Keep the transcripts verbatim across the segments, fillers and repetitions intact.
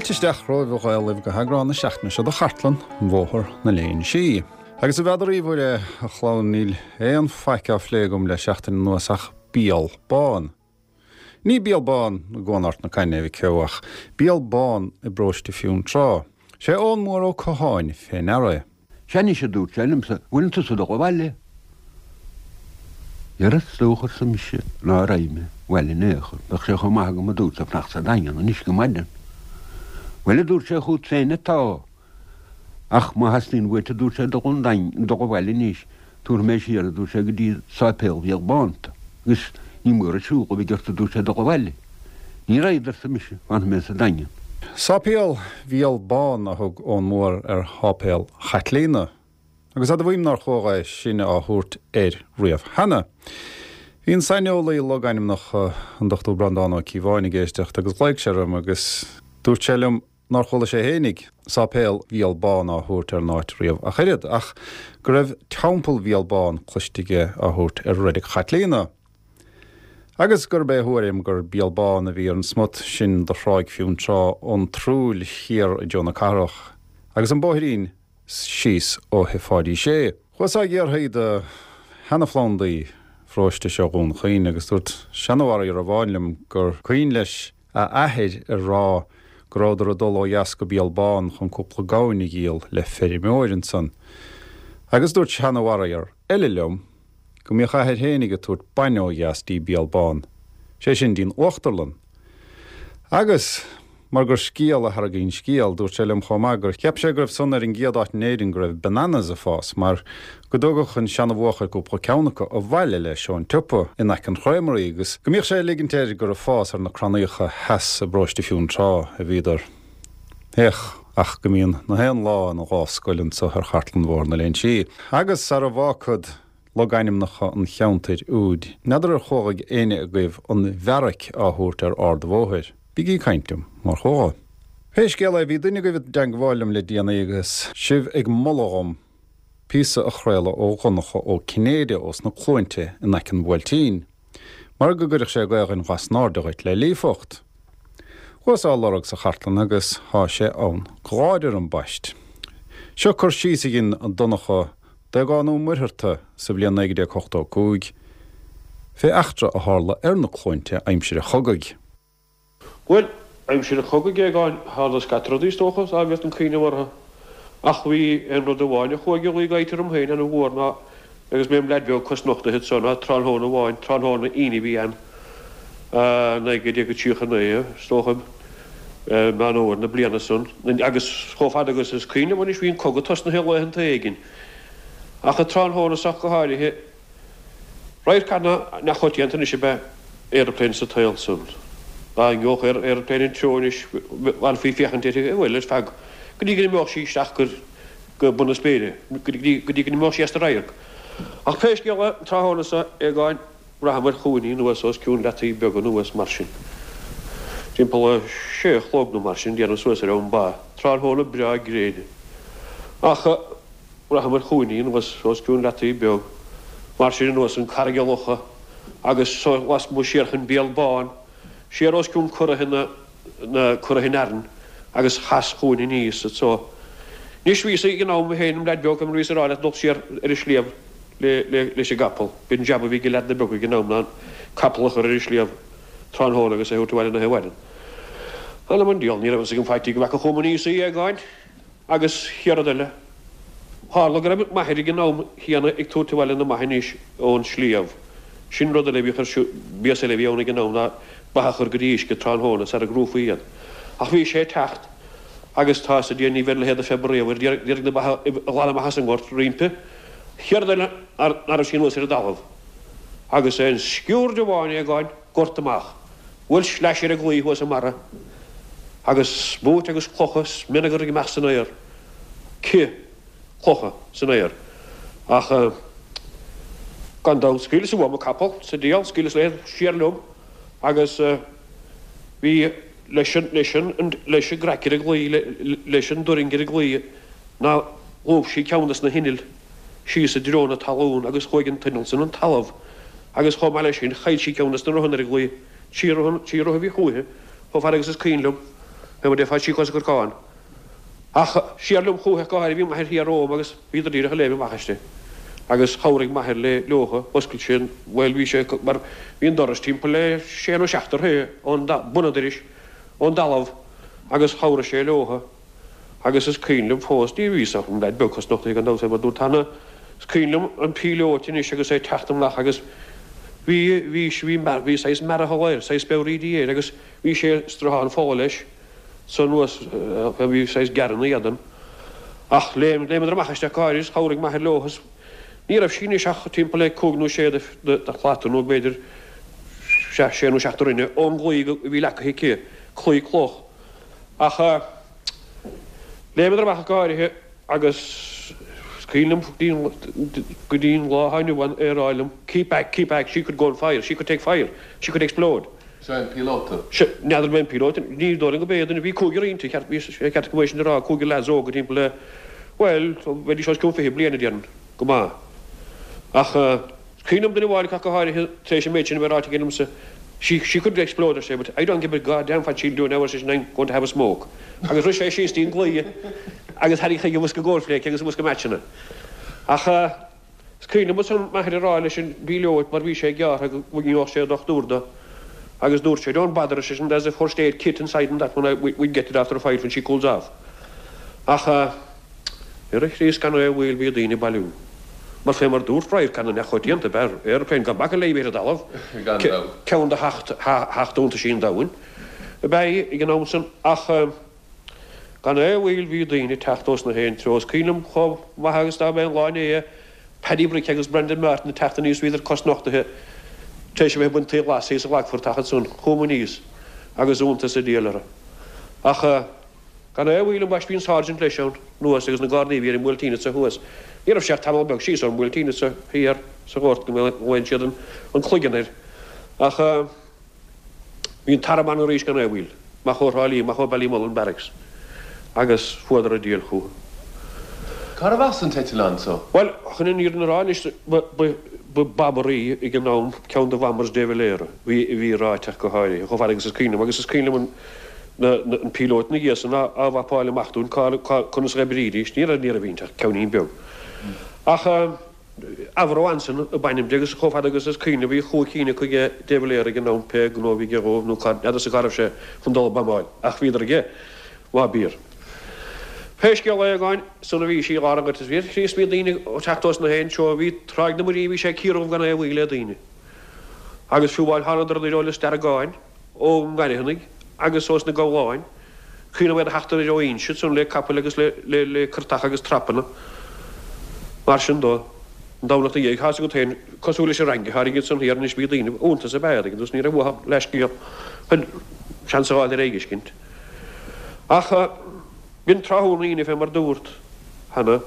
Fáilte isteach romhaibh a Ghaelaibh go heagrán na seachtaine seo de Chartlann Bhóthar na Léinsí. Agus a mheadaraí mhuire, a chlann, níl aon faic á phlé agam le seachtain anuas ach Béal Bán. Ní Béal Bán i gCuan Ard na Caithne, a mhic Eo, ach Béal Bán i bparóiste Fionntrá. Sé Eoghan Mór Ó Catháin fé ndeara é. Sea anois a dúirt sé liomsa, bhfuileann tusa ag dul abhaile? Dhera is dócha arsa mise ná raghaidh mé abhaile in aon chor, bheadh sé chomh maith agam a dúirt sé fanacht sa Daingean anois go maidin. Bhuel a dúirt sé chút féin atá, ach má theastaíonn uait a dúirt sé dul chun Daingin, dul abhaile anois, tabharfaidh mé siar a dúirt sé go dtí sáipéal Bhéal Bán tú agus ní mór an siúl a bheidh ort a dúirt sé dul abhaile. Ní raghad arsa mise, fanfaidh mé sa Daingean. Sáipéal Bhéal Bán a thug Eoghan Mór ar sháipéal Chaitlíona, agus admhaím nár chuala é sin á thabhairt air riamh cheana. Bhí an saineolaí logainmneacha, an Dochtúir Breandán Ó Cíobháin, ag éisteacht agus ghlaoigh sé orm agus dúirt sé liom nár chuala sé fhéinig Sáipéal Bhéal Bán á thabhairt ar an áit riamh ach oiread, ach go raibh Teampall Bhéal Bán cloiste aige á thabhairt ar Reilig Chaitlíona. Agus gurb é a thuairim gur Béal Bán a bhí ar an smut sin de Thráigh Fionntrá ón Trúill thiar i dtreo na cathrach, agus an bóithrín síos ó Thigh Pháidí Sé. Chuas á iarraidh do sheana-phlandaí pharóiste seo Dhún Chaoin agus dúirt seanfharaor amháin liom gur cuimhin leis a athair ag rá go rabhadar ag dul ó dheas go Béal Bán chun cúpla gamhain a dhíol le feirmeoir ansan. Agus dúirt seanfharaor eile liom go mbíodh a athair fhéinig ag tabhairt bainne ó dheas dtí Béal Bán, sé sin dtí'n uachtarlann. Agus mar gur scéal a tharraingíonn scéal, dúirt sé liom chomh maith gur cheap sé go raibh san ar an gcéad áit in Éirinn go raibh bananas ag fás, mar go dtugadh an seanabhuachaill cúpla ceann acu abhaile leis ón tsiopa in aice an Chreamery agus go mbíodh sé ag ligint air gur ag fás ar na crannaíocha theas i bparóiste Fionntrá a bhíodar. Féach ach go mbíonn na haon lá ina dhá scoil anso ar Chartlann Bhóthar na Léinsí. Agus sara bhfágfad logainmneacha an cheantair úid, n'fheadar ar chualaidh éinne agaibh an Bheairic á thabhairt ar Ard an Bhóthair. Bígí ag caint liom mar chuala. Pé scéal é, bhí duine agaibh i dteangmháil liom le déanaí agus sibh ag moladh dhom píosa a chraoladh ó Dhonncha Ó Cinnéide ós na Cluainte in aice an Bhuailtín, mar go gcuirfeadh sé Gaelainn ghasnáirde dhuit le líofacht. Chuas á lorg sa chartlann agus thá sé ann go láidir ambaist. Seo cur síos a dhein Donncha d'Aogán Ó Muircheartaigh sa bhliain naoi déag ochtó a cúig fé eachtra a tharla ar na Cluainte aimsir an chogaidh. Bhuel, aimsir an chogaidh, a Aogáin, tharla scata rudaí is dócha, dá bhféadfainn cuimhneamh orthu. Ach bhí aon rud amháin a chuaigh a luí go háirithe orm féin ana-mhór ná, agus mé im leaid beag cosnochtaithe anso, ná tráthnóna amháin, tráthnóna Aoine a bhí ann, naoi déag tríocha a naoi, is dócha, Meán Fhómhair na bliana san, agus chomh fada agus is cuimhin liom anois bhí an cogadh tosnaithe laethanta éigin. Ach an tráthnóna so ach go háirithe, Radharc nach coitianta anois ab ea aeroplane sa tsaol san. Dá ngeobhadh aeroplane an treo anois bhfanfaí ag féachaint uirthi, bhuel, ar feadh, go dtí go n-imeodh sí isteach go bun na spéire, go dtí go n-imeodh sí as do radharc. Ach pé scéal é, an tráthnóna so, Aogáin, bhraitheamair chugainn í anuas os cionn Leataí Beaga anuas mar sin. Timpeall a sé a chlog nó mar sin, déanaim suas ar am ba, tráthnóna breá gréine. Ach. Bhraitheamair chugainn í anuas os cionn Leataí Beag, mar sin anuas an Carraig a' Locha agus so lasmuigh siar chun Béal Bán, siar os cionn Curraithe na, na, Curraithe an Fhearainn agus chas chugainn aníos anso. Anois bhíos ag an am féin im leaid beag, mar bhíos ag rá leat dul siar ar an sliabh le, le, leis an gcapall. B'in jab a bhí ag leaideanna beaga ag an am ná an capall a chur ar an sliabh tráthnóna agus é a thabhairt abhaile an oíche mhaireann. Anam an diabhal, ní raibh fhios agam faitíos go bhfeaca chugam aníos í, a Aogáin. Agus chéad rud eile, tharla go raibh m'athair ag an am chéanna ag tabhairt abhaile na mba anois ón sliabh. Sin rud eile a bhíodh ar siúl, béas eile a bhí ann ag an am ná ba a chur go dtí uisce tráthnóna sara gcrúfaí iad. Ach bhí sé ag teacht agus tá 'fhios ag Dia ní bheidh a leithéid de phiobar riamh air, d'iarraidh na ba a ghlanadh amach as an ngort roimpi. Chéad rud eile ná raibh sí anuas ar an dtalamh agus aon sciuird amháin a Aogáin, gort amach. Bhuail sleais ar an gclaí thuas i mbarra agus smúit agus clocha 's mionagar ag imeacht san aer, cith clocha san aer. Ach gan dabht scaoileas uaim an capall sa diabhal, scaoileas léi siar liom agus bhí leis an, leis an, leis an gcraic ar an gclaí, leis an dturraing ar an gclaí ná lúb sí ceann des na hinnill síos i dtreo na talún agus chuaigh an t-inneall san an talamh agus chomh maith leis sin chaill sí ceann des na rothanna ar an gclaí, trí rotha, trí rotha a bhí chúithi, chomh fada agus is cuimhin liom, Fé mar déarfá trí cosa corcáin. Ach siar liom chúithi go háirithe, bhí m'athair thiar romham agus bhíodar díreach ag léim amach aisti. Agus chabhraigh m'athair le leotha, oscail sé an, bhuel bhí sé mar bhí an doras timpeall le sé nó seacht troithe ón bun an dorais, ón dtalamh agus chabhraigh sé leotha. Agus is cuimhin liom fós, ní raibh fhios ach an leaid beag cosnochtaithe gan dabht é mar dúirt Anna, is cuimhin liom an píolóta anois agus é ag teacht amach agus bhí, bhí, bhí, bhí saghas mearathal air, saghas speabhraídí air agus bhí sé sruthán fola leis so anuas, bhí saghas gearradh ina éadan. Ach léim, léimeadar amach isteach go háirid is chabhraigh m'athair leo is ní raibh sí anois ach timpeall le cúig nó sé de, de, de shlata nó b'fhéidir sé, sé nó seacht de throithe ón gclaí a bhí leagtha aici, claí cloch. Ach léimeadar amach go háirithe agus is cuimhin liom go dtí an lá atá inniu ann é a rá liom, keep back, keep back, she could go on fire, she could take fire, she could explode. Seo é an píolóta. Sea, n'fheadar an é an píolóta, ní dóigh liom go b'é duine, bhí cúigear inti, ceart, bhí sé ceart go mbeadh sin a rá, cúigear leaids óga timpeall le, bhuel, bheidís os cionn fiche bliain a déarfainn, go maith. Ach is cuimhin liom duine amháin ach go háirithe tar éis an méid sin a bheith ráite aige liomsa, She, she could explode, ar sé, but I don't give a goddamn what she'll do now, ar seisean, I'm going to have a smoke. Agus rith sé síos dtí'n gclaí agus tharraing chuige bosca cornflakes agus bosca meaitseanna. Ach is cuimhin liom ansan m'athair ag rá leis an bpíolóta mar bhí sé gearrtha go ngeobhadh sé dochtúir do agus dúirt sé, Don't bother, ar seisean, there's a first aid kit inside in that one, we, we'll get it after a while when she cools off. Ach ar a Chríost gan aon mhoill bhí daoine ag bailiú. Mar fé mar dúirt radharc ana neamhchoitianta ab ea aeroplane gan bacadh léi ar an dtalamh, ceann de sheacht iontaisí an domhain ab ea í ag an am san ach gan aon mhoill bhí daoine ag teacht ós na haon treo. Is cuimhin liom chomh maith agus dá mba é an lá inné é, Paddy Brick agus Brendan Martin ag teacht aníos bhíodar cosnochtaithe tar éis a bheith ag baint tae ghlais thíos i gClagphort ach ansan chuamar aníos agus iontas an diabhail orthu. Ach gan aon mhoill ambaiste bhí an Sergeant leis ann anuas agus na Gardaí a bhí ar an mBuailtín anso thuas. Ní raibh sé ach tamall beag síos ón mBuailtín anso thiar sa ghort go mbhain siad an cloigeann air. Ach bhí an t-arm ann arís gan aon mhoill, amach ó Thrá Lí, amach ó Ballymullen Barracks agus fuadar an diabhal chucu. Cárbh as an t-eitleán so? Bhuel, chun an fhírinne a rá anois, ba, ba, ba bomber í ag an am, ceann de bombers De Valera, bhí, bhí ráite ach go háirithe, chomh fada agus is cuimhin liom, agus is cuimhin liom an, na, na, an píolóta ina dhiaidh san á, á mhapáil amach dúinn cá, cá, conas a dh'oibrídís, ní raibh, ní raibh inti ach ceainnín beag. Ach Avro Anson ab ainm di agus chomh fada agus is cuimhin liom bhí chúig cinn acu ag De Valera ag an am, pé gnó a bhí aige dhóibh nó cá, n'fheadarsa cá raibh sé chun dul ag buamáil, ach bhíodar aige, má b'fhíor. Pé scéal é, againn san a bhí sí dhá ragairt is bhí Chríost bhí daoine ag teacht ós na haon treo, bhí Tráigh na Muirí, bhí sé ciardhubh gan aon mhoill le daoine. Agus fiú amháin thánadar anoir ó Lios Deargáin, ón nGairfeanaigh agus ós na Gabhláin, cuimhin liom iad a theacht anoir ó Inse ansan le capaill agus le, le, le curtacha agus trapanna. Mar sin dó, an Domhnach 'na dhiaidh, tá's agat féin, cosúil leis an Fhrainc a tháinig ansan thiar anois bhí daoine, iontas ab ea iad agus ní raibh uathu ach leathscéal chun seans a fháil ar éigiscint. Ach b'in tráthnóna Aoine fé mar dúrt cheana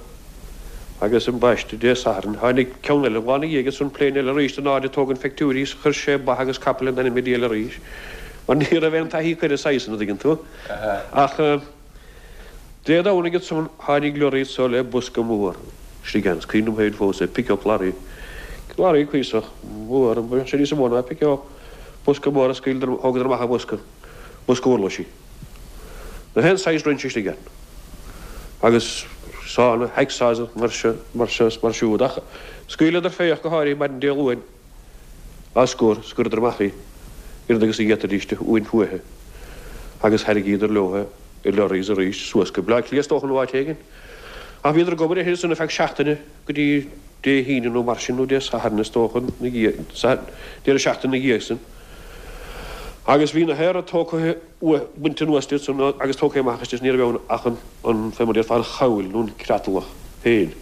agus ambaiste Dé Sathairn tháinig ceann eile an lá 'na dhiaidh ansan plane eile arís in airde ag tógaint phictiúirí is chuir sé ba agus capaill in ainm an diabhail arís mar ní raibh aon taithí acu ar an saghas san a' dtuigeann tú. Ach Dé Domhnaigh ansan tháinig lorry anso le bosca mór istigh ann is cuimhin liom féin fós é pick-up lorry lorry cuíosach mór an mbeadh sé níos mó ná pick-up bosca mór a scaoileadar thógadar amach an bosca bosca uirlisí. Gach aon saghas rinse istigh ann. Agus sánna, hacksaws mar seo, mar seo is mar siúd. Ach scaoileadar fé ach go háirithe maidin Dé Luain á scor, scoireadar amach í, oiread agus a d'fhéadfaidís di uain fúithi. Agus thairrigíodar leo i lorries arís suas go Bleá Cliath is dócha nó áit éigin. Ach bhíodar ag obair uirthi ansan ar feadh seachtaine go dtí Dé hAoine nó mar sin nó Dé Sathairn is dócha na dhiaidh, deireadh seachtaine na dhiaidh san. Agus bhí na haera tógtha uaidh, bainte anuas di ansan agus tógtha amach aisti is ní raibh ann ach an, an, fé mar a déarfá, an chabhail nó an creatlach féin.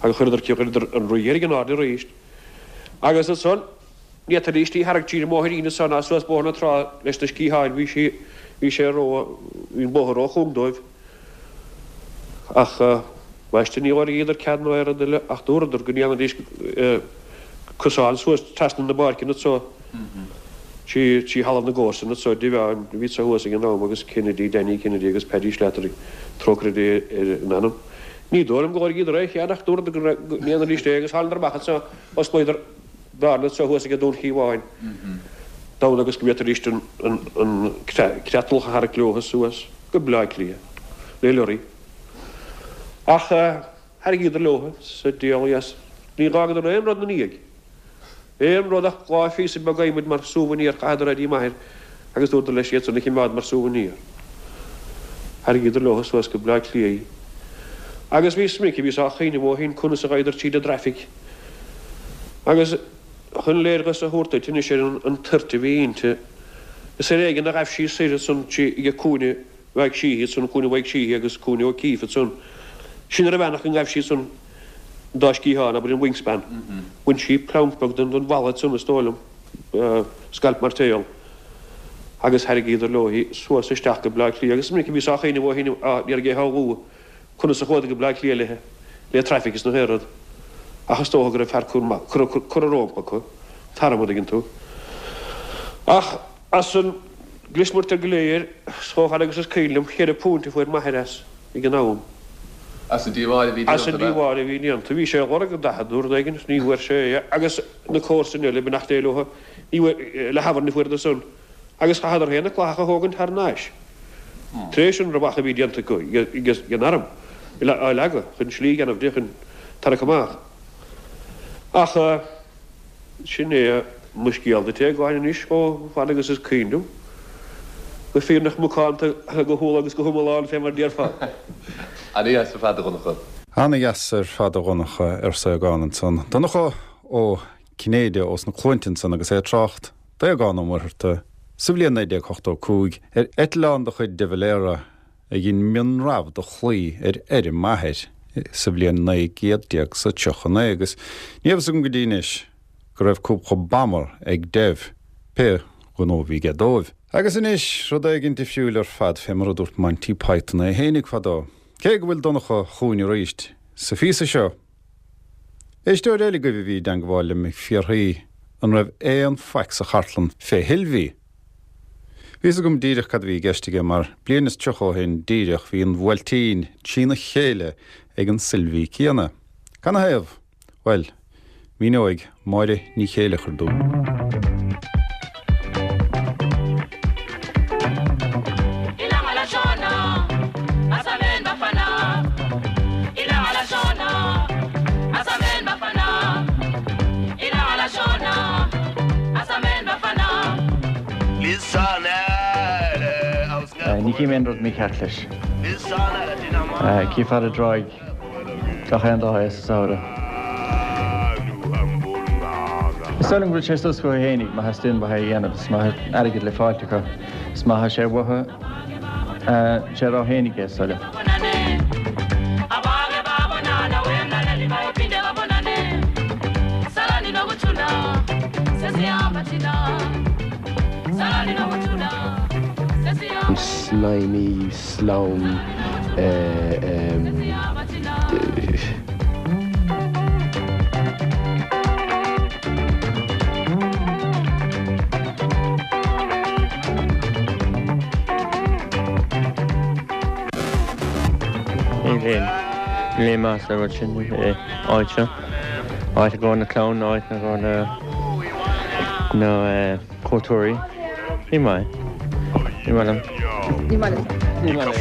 Agus chuireadar, chuireadar an rith dheiridh in airde arís. Agus ansan, ní fhéadfaidís í a tharraingt tríd an mbóithrín ansan ná suas Bóthar na Trá leis na sciatháin, bhí sí, bhí sé ró, bhí an bóthar ró-chúng dóibh. Ach, ambaiste, ní lorgaíodar cead ná aon rud eile ach dúradar go ndéanfaidís cosán suas trasna na bpáirceanna anso. Trí trí thalamh na gcomharsan anso, Devane, a bhí anso thuas ag an am agus Kennedy, Danny Kennedy agus Paddy Slattery, trócaire Dé ar a n-anam. Ní dóigh liom go lorgaíodar aon chead ach dúradar go ndéanfaidís é agus thánadar amach anso, osclaíodar bearna anso thuas ag Dún Chíomháin. D'fhonn agus go bhféadfaidís an creatlach a tharrac leo suas go Bleá Cliath, le lorry. Ach tharraingíodar leo sa diabhal dheas. Ní dh'fhágadar aon rud 'na ndiaidh. Aon rud ach dhá phíosa beag adhmaid mar souvenir chaitheadar é dtí m'athair agus dúradar leis iad san a chimeád mar souvenir. Tharraingíodar leo suas go Bleá Cliath í. Agus bhí is minic a bhíos á chuimhneamh ó shin conas a ghabhadar tríd an dtraffic. Agus chun léargas a thabhairt duit anois ar an toirt a bhí inti, is ar éigean a ghaibh sí soir ansan trí ag cúinne Mhaidhc Sheehy ansan, cúinne Mhaidhc Sheehy agus cúinne O'Keeffe ansan. Sin ar a mheánach go ngaibh sí ansan an dá sciathán, abair an wingspan. Bhain sí pleanc beag den den bhalla ansan is dóigh liom, scailp mairtéal, agus tharraingíodar leo í suas isteach go Bleá Cliath. Agus is minic a bhíos á chuimhneamh ó shin, á iarraidh é a shamhlú, conas a chuadar go Bleá Cliath léithe, le traffic is na haon rud. Ach is dócha go raibh fear curtha rompu acu, t-arm, an dtuigeann tú. Ach as an gclismurtar go léir, chomh fada agus is cuimhin liom, cheithre phunt a fuair m'athair as ag an am. As an díobháil a bhí As an déanta, ab ea? díobháil a bhí déanta. Bhí sé ag lorg daichead nó rud éigin, ní bhfuair sé é. Agus na comharsain eile, beannacht Dé leo, ní bhfuair, le hAbhairn a fuaireadar san. Agus chaitheadar féin an cladach a thógaint thar n-ais. Tar éis an rabhadh a bhí déanta acu ag an arm, á leagadh chun slí a dhéanamh di chun tarrac amach. Ach sin é mo scéal duit, a Aogáin, anois chomh fada agus is cuimhin liom. Go fírinneach macánta, go humhal agus go hiomlán, fé mar a déarfá. Ana-dheas ar fad, a Dhonncha. Ana-dheas ar fad, a Dhonncha, arsa Aogán ansan. Donncha Ó Cinnéide ós na Cluainte ansan agus é ag trácht d'Aogán Ó Muircheartaigh sa bhliain naoi déag ochtó cúig ar eitleán de chuid de Valera a dhein mionrabhadh de chlaí ar fheirm m'athair sa bhliain naoi gcéad déag 's a tríocha naoi agus ní raibh fhios agam go dtí anois go raibh cúpla bomber ag Dev, pé gnó a bhí aige dóibh. Agus anois, rud éigin difriúil ar fad fé mar a dúirt Monty Python é fhéinig fadó. Cé go bhfuil Donncha chugainn arís sa phíosa seo, éisteoir eile agaibh a bhí i dteangmháil liom ag fiafraí an raibh aon faic sa chartlann fé Shilbhí. Bhí fhios agam díreach cad a bhí i gceist aige mar bliain is tríocha ó shin díreach bhí an Bhuailtín trína chéile ag an Silbhí céanna. Canathaobh? Bhuel, míneoidh Máire Ní Chéileachair dúinn. Ní chím aon rud mícheart leis. Cífear i dTráigh gach aon dá é sa samhradh. Is dóigh liom go bhfuil sé suas chucu fhéinig má theastaíonn uathu é a dhéanamh is má tá airgead le fáilt acu is má tá sé uathu sé a rá fhéinig é is dóigh liom. Slimy, slám, Níl aon níl aon mhaith le rud sin áit seo. Áit i gcomhair na clann, áit i gcomhair na na cuairteoirí. Ní maith. Ní maith liom. Ní maith liom. Ní maith liom.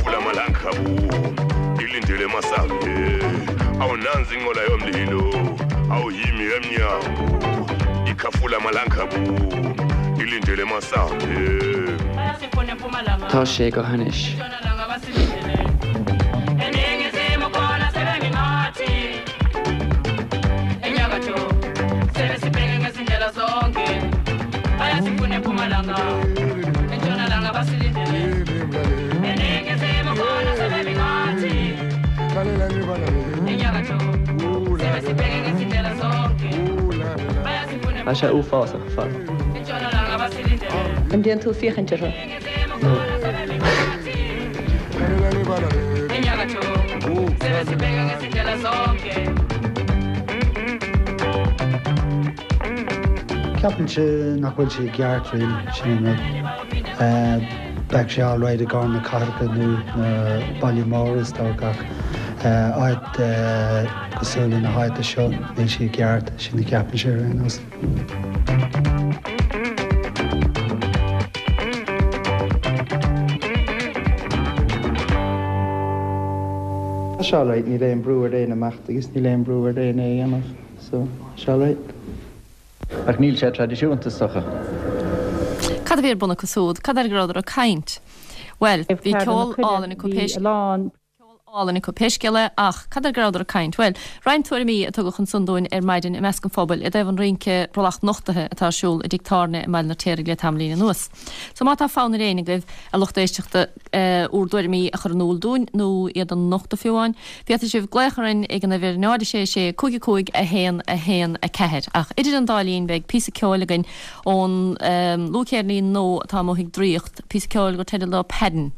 Tá sé go hainnis. Tá sé uafásach ar fad. An dtéann tú féachaint orthu? No. Ceapaimse nach bhfuil sé i gceart really, sin an rud. Bheadh sé alright i gcomhair na cathracha nó na baile móra is dócha ach áit cosúil le na háite seo níl sé i gceart, sin a cheapaimse ar aon nós. sé alright, níl aon brú ar éinne imeacht agus níl aon brú ar éinne é a dhéanamh, so tá sé alright. Ach níl sé traidisiúnta is dócha. Cad a bhí ar bun acu siúd? Cad air go rabhadar ag caint? Bhuel, bhí ceol álainn acu pé álainn acu pé scéal é, ach cad air go rabhadar ag caint? Bhuel, roinnt tuairimí a tugadh ansan dúinn ar maidin i measc an phobail i dtaobh an rince brollach nochtaithe atá ar siúl i dTigh Tábhairne i mBaile an Fheirtéaraigh le tamaillín anuas. So má tá fonn ar éinne agaibh, a lucht éisteachta, bhur dtuairimí a chur in iúl dúinn, nó iad a nochtadh fiú amháin, féadfaidh sibh glaoch orainn ag an uimhir náid a sé sé cúig a cúig a haon a haon a ceathair. Ach idir an dá linn beidh píosa ceoil againn ón luathcheirnín nua atá amuigh ag Draíocht, píosa ceoil gur teideal dó Paddin'.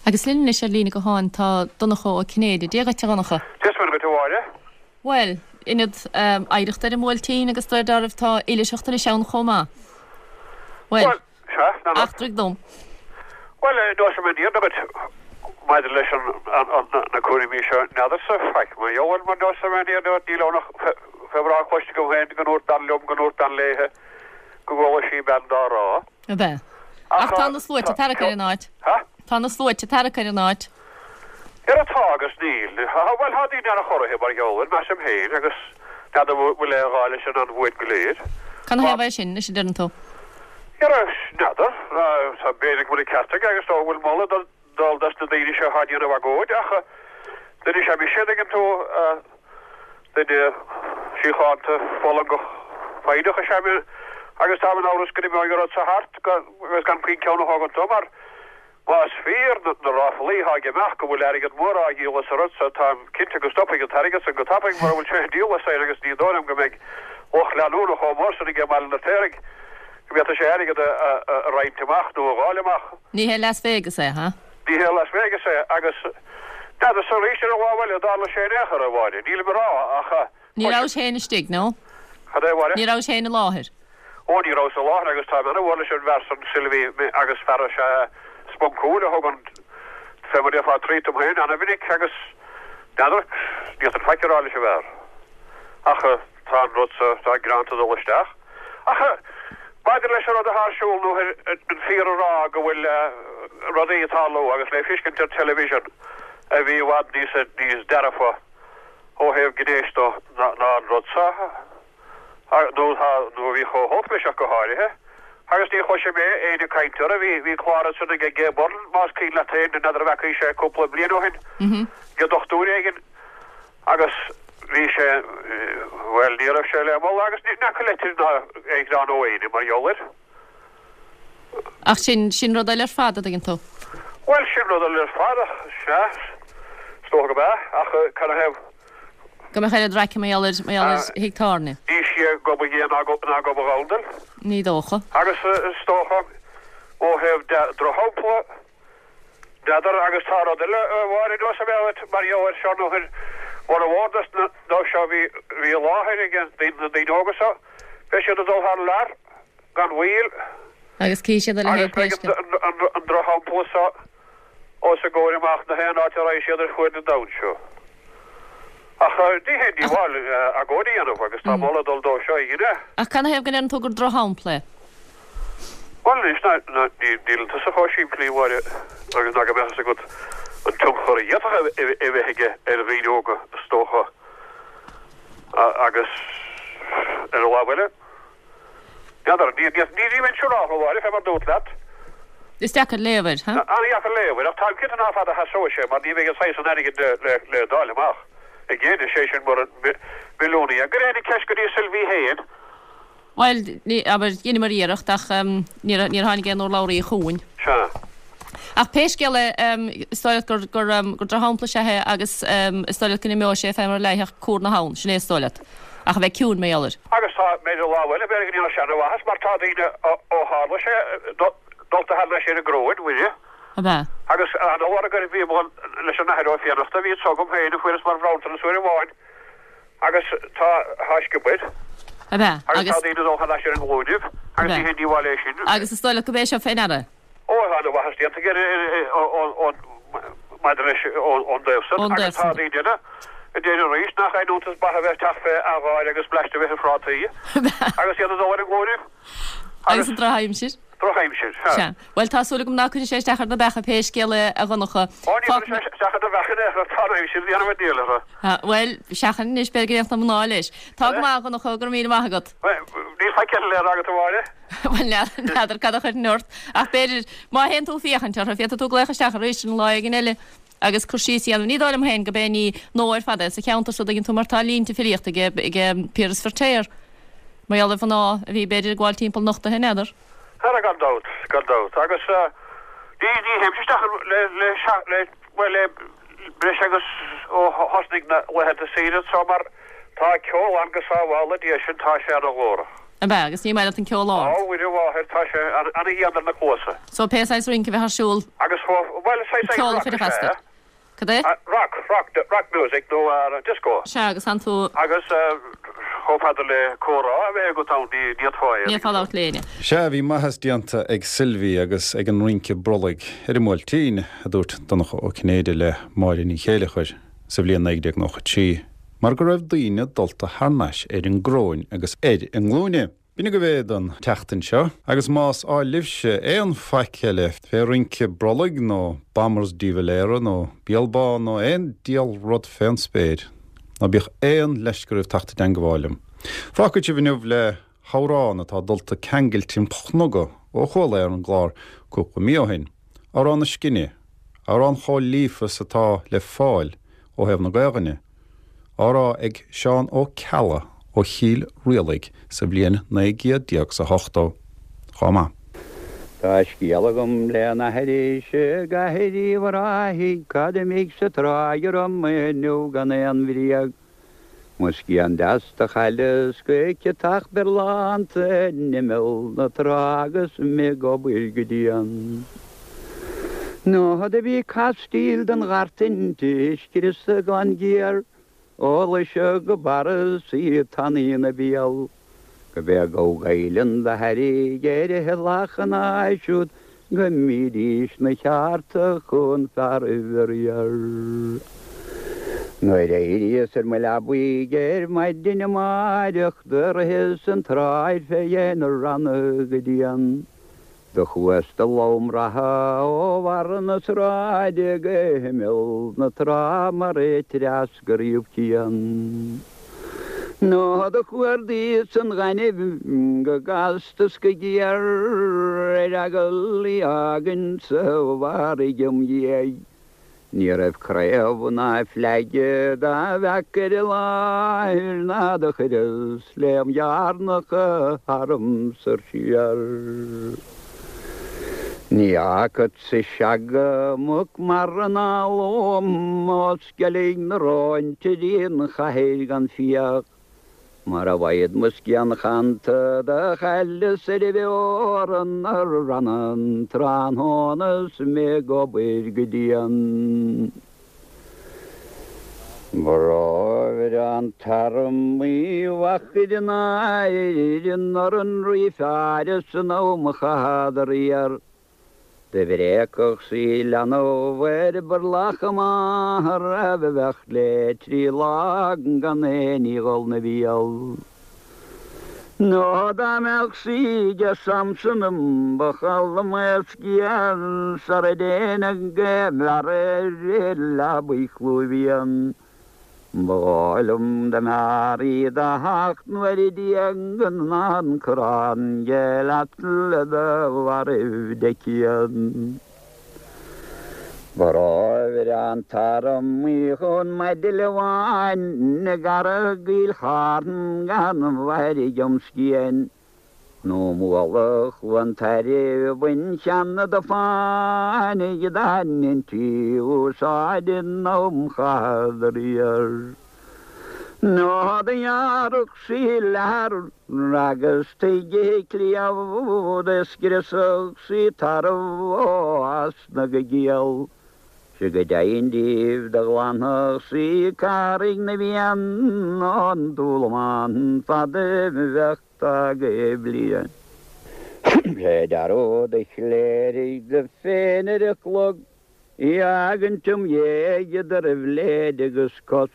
Agus linn anois ar líne gutháin tá Donncha Ó Cinnéide. Dia dhuit, a Dhonncha. Dia is Muire dhuit, a Mháire. Bhuel, ionad oidhreachta ar an mBuailtín agus de réir dealraimh tá oilithreacht anois ann chomh maith. Bhuel, eachtraigh dom. Bhuel, inseoidh mé an fhírinne duit maidir leis na cúraimí seo, n'fheadarsa faic mar gheall air, mar inseoidh mé an fhírinne duit, níl ann ach fé mar atá cloiste agam féin go ndúirt bean liom, go ndúirt bean léithe go gcuala sí bean dá rá. Ab ea? Ach tá na sluaite ag tarrac ar an áit. Tá na sluaite ag tarrac ar an áit. Ara tá agus níl. Bhuel, tá daoine an-chorraithe mar gheall air, measaim féin, agus n'fheadar an bhfuil aon ghá leis an bhfuath go léir. Canathaobh é sin, anois a deireann tú? Ara, n'fheadar. Tá, b'fhéidir go bhfuil an ceart aige agus go bhfuil moladh dul dos na daoine seo atá ag déanamh agóid, ach duine is ea mise, an dtuigeann tú, duine síochánta, fulangach, foighdeach is ea mé agus táim in amhras go n-imeoidh an rud seo thart agus gan puinn ceann a thógaint dó mar más fíor na ráflaí atá ag imeacht go bhfuil airgead mór á dhíol as an rud seo táim cinnte go stopfaidh an t-airgead san go tapaidh mura bhfuil sé á dhíol as féin agus ní dóigh liom go mbeidh lucht leanúna chomh mór san aige i mBaile an Fheirtéaraigh go bhféadfadh sé airgead a roinnt amach nó a dháileadh amach. Ní hé Las Vegas é, ha? Ní hé Las Vegas é agus n'fheadarsa arís ar an lámh eile an dtarla sé in aon chor, a Mháire, nílim ag rá ach. Ní rabhais féin istigh, nó? Cad é, a Mháire? Ní rabhais féin i láthair? Ó, ní rabhas i láthair agus táim ana-mhór leis an bhfear san, Sylvie, agus fear is ea é spuncúil a thugann fé mar a déarfá treat dom féin ana-mhinic agus n'fheadar, ní fhéadfainn faic a rá leis an bhfear. Ach tá an rud so, tá greanta ag dul isteach. Ach Maidir leis an rud atá ar siúl nó an fíor a rá go bhfuil rudaí ag tarlú agus le feiscint ar television a bhí i bhfad níos níos dearfa ó thaobh gnéis dó ná an rud seo nó tá nó a bhí chomh holc leis ach go háirithe. Agus ní chloisim é éinne ag caint orthu, bhí bhí clár ansan ag Gay Byrne más cuimhin leat féin, n'fheadar an bhfeacaís é cúpla bliain ó shin, ag dochtúir éigin agus bhí sé, bhuel, ní raibh sé le moladh agus ní fhaca leitir ná aon ghreann ó éinne mar gheall air. Ach sin, sin rud eile ar fad, a dtuigeann tú. Bhuel, sin rud eile ar fad, ach sea, is dócha go b'ea, ach cad ina thaobh? Go mbeadh oiread raice mar gheall ar, mar gheall ar thigh tábhairne. Ní sia gob a ghé ná gob, ná gob a ghabhann. Ní dócha. Agus is dócha, ó thaobh drochshampla, N'fheadar, agus tá rud eile, a Mháire, anuas a bheith agat mar gheall air seo nó ar fhormhór dos na dóibh seo a bhí bhí i láthair ag na daoine óga seo, beidh siad ag dul thar lear gan mhoill. Agus cífidh siad a leithéid Agus beidh pé scéal. an an drochshampla seo os a gcomhair amach na haon áit a raghaidh siad ar fuaid an domhain seo. Ach ní haon díobháil agóid a dhéanamh agus tá moladh ag dul dó seo a dhéanamh. Ach cad ina thaobh go ndeireann tú gur drochshampla é? Bhuel anois, níl tusa chomh simplí, a Mháire, agus ná go mbeadh fhios agat an tionchar a d'fhéadfadh a bheith aige ar dhaoine óga, is dócha, agus ar an lámh eile, n'fheadar, ní bheinn siúrálta, a Mháire, fé mar dúrt leat. Is deacair léamh air, ha? An-dheacair léamh air, ach táim cinnte ná fada a sheasóidh sé, mar ní bheidh an saghas san airgid le dáileadh amach ag éinne, sé sin mura milliúnaí é. Cuir an cheist go dtí Sylvie féin. Bhuel, ní, abair, dheineamar iarracht ach níor, níor tháinig aon urlabhraí chugainn. Sea. Ach pé scéal é, is dóigh leat gur, gur, gur drochshampla is ea é agus is dóigh leat go n-imeoidh sé fé mar a leigfeadh cúr na habhann, sin é is dóigh leat. Ach a bheith ciúin mar gheall air. Agus tá, ar an lámh eile, b'fhéidir go ndéanfadh sé ana-mhaitheas mar tá daoine ó tharla sé dulta thar n-ais ar an gcróin, Mhuire. Ab ea? Agus an-mhór a bhí leis an Athair Ó Fiannachta, a bhí anso agam féin a fuaireas mar bhronntanas uair amháin. Agus tá, tá sciobair. Ab ea? Agus tá daoine ag dul thar n-ais ar a nglúinibh, agus ní haon díobháil é sin. Agus is dóigh leat go b'é seo fé ndeara? Ó, tá ana-mhaitheas déanta aige ar, maidir leis, ón dtaobh san. Agus tá daoine eile a deir arís nach aon iontas beatha a bheith ag teacht fé gháir agus bleaist a bheith ar phrátaí, agus iad ag dul ar a nglúinibh. Agus an drochaimsir. Drochaimsir, sea. Sea. Bhuel, tá súil agam ná cuirfidh sé isteach ar na beacha pé scéal é, a Dhonncha. Ó, ní chuirfidh sé isteach ar na beacha in aon chor, tá an aimsir ag déanamh an diabhail orthu. Bhuel, seachain anois, b'fhéidir go ndéanfadh na mná leis. Tá go maith, a Dhonncha, go raibh míle maith agat. Bhuel, níl faic eile le rá agat, a Mháire. Bhuel, n'fheadar cad a chuirfinn ort, ach b'fhéidir, má théann tú féachaint orthu, féadfaidh tú glaoch isteach arís an lá éigin eile agus cur síos a dhéanamh. Ní dóigh liom féin go b'é ní nua ar fad é sa cheantar so, dtuigeann tú, mar tá línte filíochta ag Piaras Feirtéar. Mar gheall ar mhná a bhí, b'fhéidir, ag gabháil timpeall nochtaithe, n'fheadar. Ara gan dabht, gan dabht. Agus ní, ní théimse isteach le, le, le, bhuel, le breis agus ó thosnaigh na laethanta saoire anseo mar tá ceol ann go sábhála Dia sinn, tá sé ana-ghlórach. Ab ea? Agus ní maith leat an ceol ard? Á, Mhuire Mháthair, tá sé ana-dhian ar na cluasa. So pé saghas rince a bheadh ar siúl, Agus, bhuel, saghas ceol a rock chuirfeadh is as ea. duit. Cad é? Rock, rock, rock music nó disco. Sea, agus tánn tú. Agus chomh fada le comhrá a bheith agat ann, ní fhéadfá é. Ní fhéadfá labhairt le éinne. Sea, bhí maitheas déanta ag Sylvie agus ag an rince brollaigh ar an mBuailtín, a dúirt Donncha Ó Cinnéide le Máire Ní Chéileachair sa bhliain naoi déag nócha trí, mar go raibh daoine dulta thar n-ais ar an gcróin agus ar a nglúine. B'in agaibh é don tseachtain seo, agus más áil libhse aon faic eile fé rince brollaigh nó Bombers de Valera nó Béal Bán nó aon diabhal rud fén spéir, ná bíodh aon leisce oraibh teacht i dteangabháil liom. Fágfaidh sibh inniu le hamhrán atá dulta ceangailte im chnoga ó chuala é ar an gclár cúpla mí ó shin, Amhrán na Scine, amhrán chomh líofa is atá le fáil ó thaobh na Gaelainne. á rá ag Seán Ó Ceallaigh ó Chill Rialaig sa bhliain naoi gcéad déag 's a hochtó. Chomh maith. Tá scéal agam le n-aithris i gCathair Uíbh Ráthaigh, cad imigh sa tráigh orm inniu gan aon bhréag. Mo scian deas do chailleas go ciotach berlánta in imeall na trá agus mé ag obair go dian. Nó do bhí castaíl den ghart inti, scriosadh gan ghéar, Ó Laoise go Barras í tanaí ina béal, go b'é gabh Gaelainn do thairrig ar a lachan siúd go mbídís 'na cheárta chun fearaibh riar. Nuair a éiríos ar mo leabaidh ar maidin amáireach do ritheas an tsráid fé dhéin na ranna go dian. Do chuas de lom reatha ó bharr na sráide go himeall na trá mar a treascraíodh cian. Nó do chuardaíos an gaineamh go gasta 's go géar ar eagal í fhágaint sa bhfarraige im dhiaidh. Ní raibh craobh ná fleaige dá bhfeac ar an láthair ná do chuireas léim dhearnacha tharam soir siar. Ní fhacadsa seaga muc mara ná lón ó Sceilg na Rón dtí an chathair gan fiach. Mar a bhfaighid mo scian chanta do chailleas ar an bhfeorann na ranna an tráthnóna 's mé ag obair go dian. Ba rómhaire an t-arm Uí Mhachair in Éirinn ar an rí fear san am a chaitheadar iar. Do bhréagfadh sí leanbh ar burlach a máthar a bheadh le trí lá gan aon ní dhul 'na bhéal. Nó dá mbeadh sí ag Samson ba chall mo scian sara dtéinn go bhfear ar leabaidh chlúimh Ba dhóigh liom dá mb'fhearr í do theacht nuair a déag ná an corrán de leat le do mhairbh de chian. Ba rómhaire an t-arm Uí Chon maidil amháin i gCarraig Fhill Charn gan mhairg im scian. Nó mullach Chluain Tairbh an cheann do fáinigh dá ndeintí úsáid in am chaitheadar iar. Nó do ghearrfadh sí leathar agus tuige cliabh do scriosfadh sí tarbh ó easna go giall. Sea go deimhin daoibh do ghlanfadh sí Carraig na bhFiann ón dúlamán fad a bheadh tagtha bliain. Sé dearúd a chléirigh do féin ar a chlog í fhágaint im dhiaidh idir bhléid agus cos.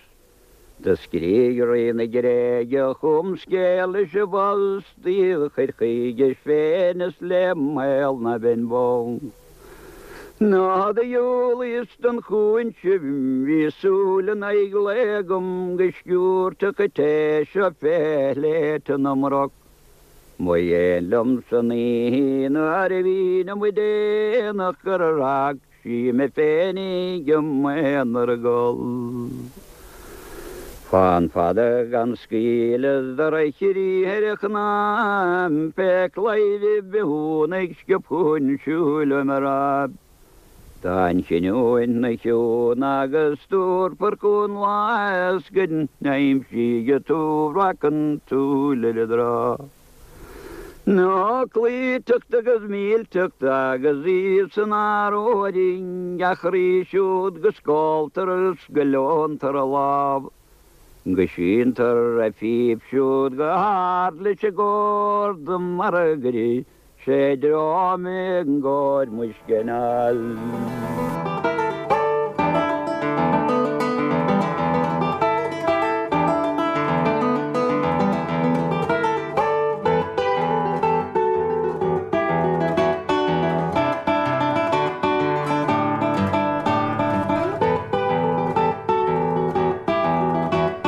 Do scrígh rí na Gréige chugam scéal leis an bpost í a chur chuige féin is le maol ná beinn bó. Nó do dhiúlaíos don chúinse bhí súil in aghaidh lae agam go sciúirfeadh an té seo fé shléibhte na mbroc. Ba dhéin liom san oíche nuair a bhínn amuigh déanach gur fhág sí mé féinig i m'aonar ag gol. Fán fada gan scaoileadh do reachairí ar a chnámh pé claidheamh bithiúnaigh sciobtha chun siúil uaim a rá. Tá an chinniúint 'na chiúin agus tabharfar chugainn lá is go n-aimsídh tú breac an tsúil ar an dtrá. Nó cloíteacht agus millteacht agus í san áróirín gach rí siúd go scóltar is go leontar a lámh. Go síntear a phíp siúd go hard leis an gcórd mar a gcuirfidh sé dream i gcomhair muisce anall.